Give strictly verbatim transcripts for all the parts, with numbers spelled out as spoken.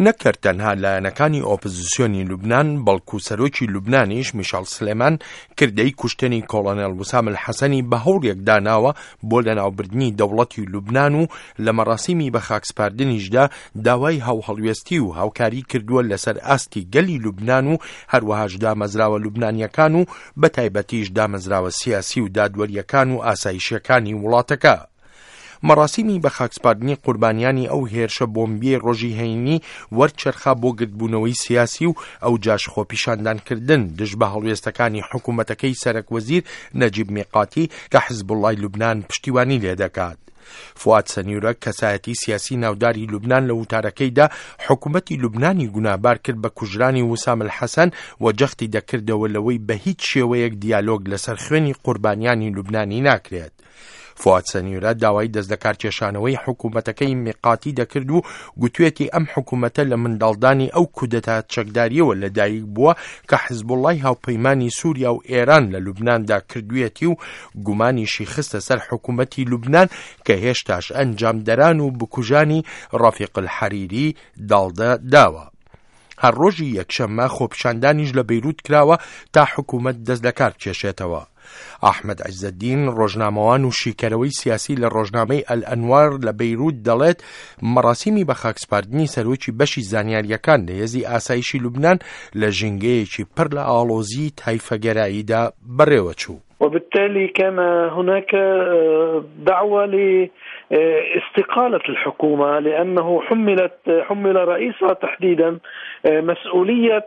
نەک هەر تەنها لایەنەکانی ئۆپزسیۆنی لوبنان، بەڵکو سەرۆکی لوبنانیش میشال سلێمان کردەی کوشتنی کۆڵۆنێڵ وسام الحەسەنی بە هەوڵێک داناوە بۆ لەناوبردنی دەوڵەتی لوبنان و لە مەراسیمی بەخاکسپاردنیشدا داوای هاوهەڵوێستی و هاوکاری کردووە لەسەر ئاستی گەلی لوبنان و هەروەهاش دامەزراوە لوبنانیەکان و بەتایبەتیش دامەزراوە سیاسی و دادوەریەکان و ئاسایشیەکانی وڵاتەکە. مەراسیمی بەخاکسپاردنی قوربانیانی ئەو هێرشە بۆمبیەی ڕۆژی هەینی وەرچەرخا بۆ گردبوونەوەی سیاسی و ئەو جاش خۆپیشاندانکردن دژ بە هەڵوێستەکانی حکوومەتەکەی سەرەک وەزیر نەجیب میقاتی کە حزبوڵای لوبنان پشتیوانی لێدەکات. فواد سەنیورە، کەسایەتی سیاسی ناوداری لوبنان، لە وتارەکەیدا حکوومەتی لوبنانی گوناهبار کرد بە کوژرانی وسام الحەسەن و جەختی دەکردەوە لەوەی بە هیچ شێوەیەک دیالۆگ لەسەر خوێنی قوربانیانی لوبنانی ناکرێت. فواد سەنیورە داوای دەست لەکارکێشانەوەی حکوومەتەکەی میقاتی دەکرد و گوتوێتی ئەم حکوومەتە لە منداڵدانی ئەو کودەتا چەکداریەوە لەدایک بووە کە حزبوڵای هاوپەیمانی سووریا و ئێران لە لوبناندا کردوێتی و گومانیشی خستە سەر حکوومەتی لوبنان کە هێشتاش ئەنجامدەران و بکوژانی ڕەفیق الحەریری داڵدە داوە. هەر ڕۆژی یەکشەممە خۆپیشاندانیش لە بەیروت کراوە تا حکوومەت دەست لەکار بکێشێتەوە. ئەحمەد عیزەدین، ڕۆژنامەوان و شیکەرەوەی سیاسی لە ڕۆژنامەی ئەلئەنوار لە بەیروت، دەڵێت مەراسیمی بەخاکسپاردنی سەرۆکی بەشی زانیاریەکان لە هێزی ئاسایشی لوبنان لە ژینگەیەکی پڕ لە ئاڵۆزی تایفەگەراییدا بەڕێوەچوو. وبالتالي كان هناك دعوة لاستقالة الحكومة، لأنه حملت حمل رئيسها تحديدا مسؤولية.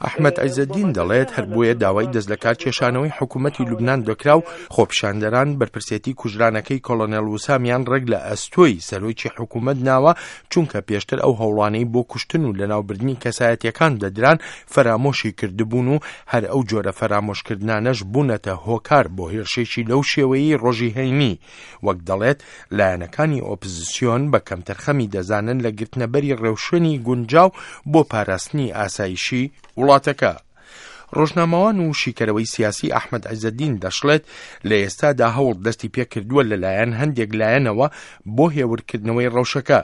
ئەحمەد عیزەدین دەڵێت هەر بۆیە داوای دەست لەکار کێشانەوەی حکوومەتی لوبنان دەکرا و خۆپیشاندەران بەرپرسێتی کوژرانەکەی کۆڵۆنێڵ وسامیان ڕێک لە ئەستۆی سەرۆکی حکوومەت ناوە، چونکە پێشتر ئەو هەوڵانەی بۆ کوشتن و لەناوبردنی کەسایەتیەکان دەدران فەرامۆشی کردبوون و هەر ئەو جۆرە فەرامۆشکردنانەش بوونەتە هۆکار بۆ هێرشێکی لەو شێوەیەی ڕۆژی هەینی. وەک دەڵێت لایەنەکانی ئۆپزیسیۆن بە کەمتەرخەمی دەزانن لە گرتنەبەری ڕێوشوێنی گونجاو بۆ پاراستنی ئاسایشی وڵاتەکە. ڕۆژنامەوان و شیکەرەوەی سیاسی ئەحمەد عیزەدین دەشڵێت لە ئێستادا هەوڵ دەستی پێکردووە لەلایەن هەندێک لایەنەوە بۆ هێورکردنەوەی ڕەوشەکە،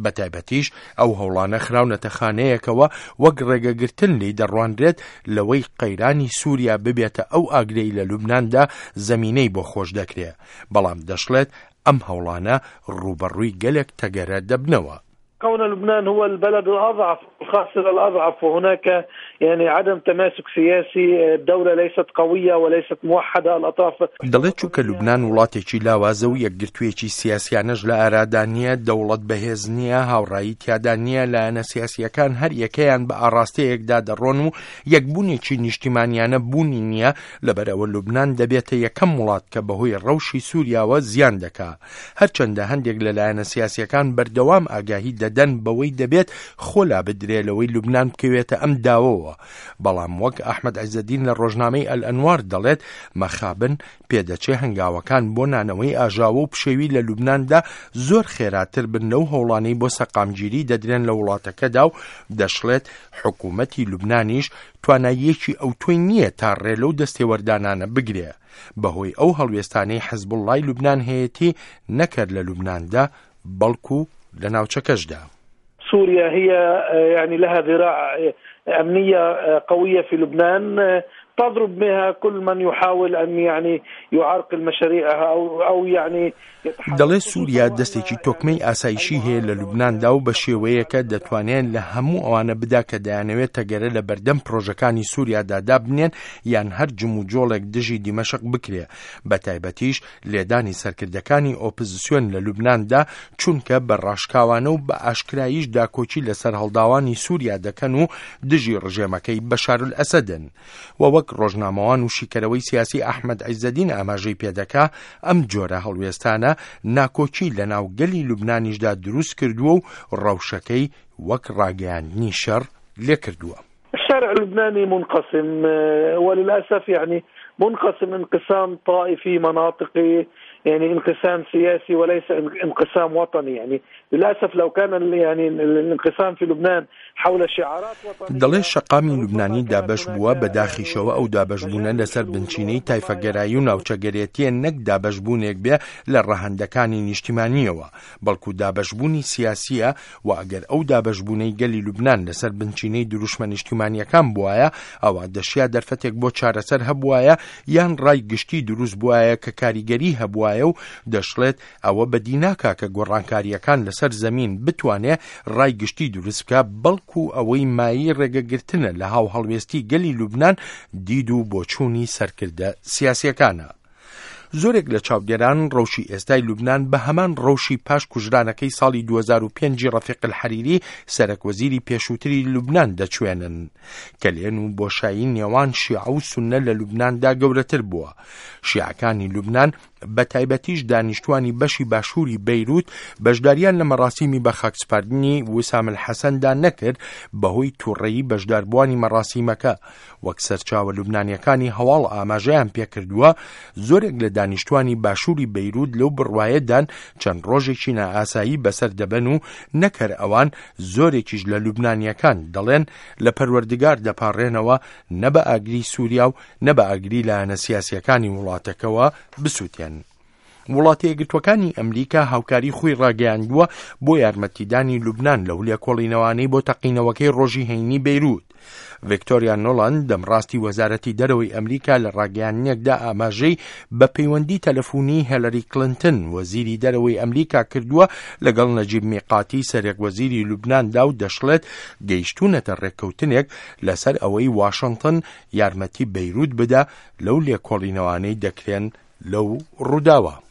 بەتایبەتیش ئەو هەوڵانە خراونەتە خانەیەکەوە وەک ڕێگەگرتن لی دەڕوانرێت لەوەی قەیرانی سووریا ببێتە ئەو ئاگرەی لە لوبناندا زەمینەی بۆ خۆش دەکرێت. بەڵام دەشڵێت ئەم هەوڵانە ڕووبەڕووی گەلێک تەگەرە دەبنەوە. كون لبنان هو البلد الأضعف، الخاسر الأضعف، وهناك يعني عدم تماسك سياسي، الدولة ليست قوية وليست موحدة الأطراف. دەڵێت چونکە لوبنان وڵاتێکی لاوازە و یەکگرتوویەکی سیاسیانەش لە ئارادا نییە، دەوڵەت بەهێز نییە، هاوڕایی تیادا نییە، لایەنە سیاسیەکان هەر یەکەیان بە ئاڕاستەیەکدا دەڕۆن و یەکبوونێکی نیشتیمانیانە بوونی نییە، لەبەرئەوە لوبنان دەبێتە یەکەم وڵات کە بەهۆی ڕەوشی سووریاوە زیان دەکا. هەرچەندە هەندێک لە لایەنە سیاسیەکان بەردەوام ئاگاهی دەدەن بەوەی دەبێت خۆ لا بدرێ لەوەی لوبنان بکەوێتە ئەم داوەوە، بەڵام وەک ئەحمەد عیزەدین لە ڕۆژنامەی ئەلئەنوار دەڵێت مەخابن پێدەچێ هەنگاوەکان بۆ نانەوەی ئاژاوە و پشێوی لە لوبناندا زۆر خێراتر بن لەو هەوڵانەی بۆ سەقامگیری دەدرێن لە وڵاتەکەدا و دەشڵێت حکوومەتی لوبنانیش تواناییەکی ئەوتۆی نییە تا ڕێ لەو دەستێوەردانانە بگرێ بەهۆی ئەو هەڵوێستانەی حەزبوڵڵای لوبنان هەیەتی نەکرد لە لوبناندا بەڵکو لە ناوچەکەشدا. سوريا هي يعني لها ذراع أمنية قوية في لبنان تضرب بها كل من يحاول أن يعني يعرقل مشاريعها أو أو يعني. دەڵێ سووریا دەستێکی تۆکمەی ئاسایشی هەیە لە لوبناندا و بە شێوەیەکە دەتوانێن لە هەموو ئەوانە بدا کە دەیانەوێت تەگەرە لە بەردەم پرۆژەکانی سووریادا دابنێن یان هەر جموجۆڵێک دژی دیمەشق بکرێ، بە تایبەتیش لێدانی سەرکردەکانی ئۆپزیسیۆن لە لوبناندا، چونکە بە ڕاشکاوانە و بە ئاشکراییش داکۆکی لەسەر هەڵداوانی سووریا دەکەن و دژی ڕژێمەکەی بەشارولئەسەدن. و وەک ڕۆژنامەوان و شیکەرەوەی سیاسی ئەحمەد عیزەدین ئاماژەی پێدەکا ئەم جۆرە هەڵوێستانە ناکۆکی لە ناو گەلی لوبنانیشدا دروست کردووە و ڕەوشەکەی وەک ڕاگەیاندنی شەڕ لێکردووە. الشارع اللبناني منقسم، وللأسف يعني منقسم انقسام طائفي مناطقي. يعني انقسام سياسي وليس انقسام وطني. يعني للأسف لو كان يعني الانقسام في لبنان حول شعارات وطنية. دەڵێ شەقامی لوبنانی دابەش بووە، بەداخیشەوە ئەو دابەشبوونە لەسەر بنچینەی تایفەگەرایی و ناوچەگەرێتیە، نەک دابەشبوونێک بێ لە ڕەهەندەکانی نیشتیمانیەوە، بەڵکو دابەشبوونی سیاسیە. و ئەگەر ئەو دابەشبوونەی گەلی لوبنان لەسەر بنچینەی دروشمە نیشتیمانیەکان بوایە، ئەوە دەشیا دەرفەتێک بۆ چارەسەر هەبوایە یان ڕای گشتی دروست بوایە کە کاریگەری هەبوایە. و دەشڵێت ئەوە بەدی ناکا کە گۆڕانکاریەکان لەسەر زەمین بتوانێ ڕای گشتی دروست بکە، بەڵکو ئەوەی مایی ڕێگەگرتنە لە هاوهەڵوێستی گەلی لوبنان دید و بۆچوونی سەرکردە سیاسیەکانە. زۆرێک لە چاودێران ڕەوشی ئێستای لوبنان بە هەمان ڕەوشی پاش کوژرانەکەی ساڵی دوو هەزار و پێنج ڕەفیق الحەریری سەرەک وەزیری پێشووتری لوبنان دەچوێنن. کەلێن و بۆشایی نێوان شیعە و سوننە لە لوبناندا گەورەتر بووە. شیعەکانی لوبنان بە تایبەتیش دانیشتوانی بەشی باشووری بەیروت بەشداریان لە مەراسیمی بە خاکسپاردنی وسام الحەسەندا نەکرد بەهۆی تووڕەیی بەشداربووانی مەراسیمەکە. وەک سەرچاوە لوبنانیەکانی هەواڵ ئاماژەیان پێکردووە، زۆرێک لە دانیشتوانی باشووری بەیروت لەو بڕوایەدان چەند ڕۆژێکی نائاسایی بەسەر دەبەن و نەکەر ئەوان زۆرێکیش لە لوبنانیەکان دەڵێن لە پەروەردگار دەپاڕێنەوە نە بە ئاگری سووریا و نە بە ئاگری لایەنە سیاسیەکانی وڵاتەکەوە بسووتێن. وڵاتە یەکگرتووەکانی ئەمریکا هاوکاری خۆی ڕاگەیاندووە بۆ یارمەتیدانی لوبنان لەو لێکۆڵینەوانەی بۆ تەقینەوەکەی ڕۆژی هەینی بەیروت. ڤیکتۆریا نۆلاند دەمڕاستی وەزارەتی دەرەوەی ئەمریکا لە ڕاگەیاندنێکدا ئاماژەی بە پەیوەندی تەلەفۆنی هێلەری کلینتن وەزیری دەرەوەی ئەمریکا کردووە لەگەڵ نەجیب میقاتی سەرەک وەزیری لوبناندا و دەشڵێت گەیشتوونەتە ڕێککەوتنێک لەسەر ئەوەی واشنگتن یارمەتی بەیروت بدا لەو لێکۆڵینەوانەی دەکرێن لەو ڕووداوە.